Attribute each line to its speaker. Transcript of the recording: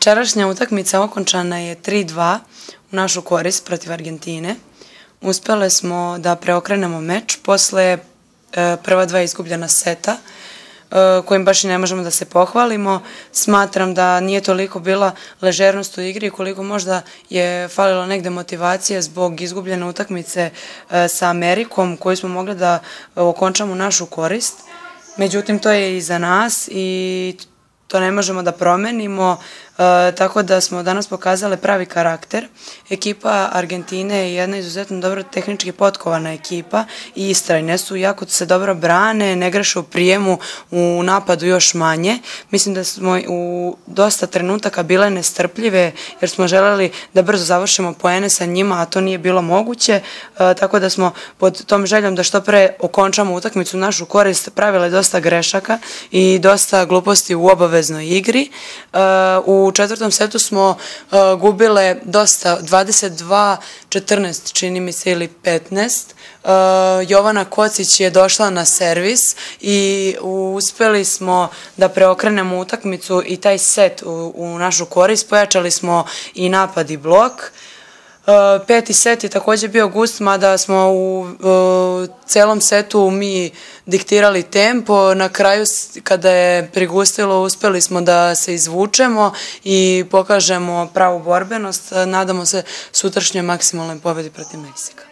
Speaker 1: Večerašnja utakmica okončana je 3:2 u našu korist protiv Argentine. Uspele smo da preokrenemo meč posle prva dva izgubljena seta, kojim baš i ne možemo da se pohvalimo. Smatram da nije toliko bila ležernost u igri koliko možda je falilo negde motivacije zbog izgubljene utakmice sa Amerikom koju smo mogli da okončamo u našu korist. Međutim, to je iza nas i to ne možemo da promenimo, tako da smo danas pokazali pravi karakter. Ekipa Argentine je jedna izuzetno dobro tehnički potkovana ekipa i istrajne su, jako se dobro brane, ne greše u prijemu, u napadu još manje. Mislim da smo u dosta trenutaka bile nestrpljive jer smo želeli da brzo završimo poene sa njima, a to nije bilo moguće, tako da smo pod tom željom da što pre okončamo utakmicu u našu korist pravile dosta grešaka i dosta gluposti u obaveznoj igri. U četvrtom setu smo gubile dosta, 22-14 čini mi se ili 15. Jovana Kocić je došla na servis i uspeli smo da preokrenemo utakmicu i taj set u našu korist. Pojačali smo i napad i blok. Peti set je također bio gust, mada smo u celom setu mi diktirali tempo. Na kraju, kada je prigustilo, uspeli smo da se izvučemo i pokažemo pravu borbenost. Nadamo se sutrašnjoj maksimalnoj pobedi protiv Meksika.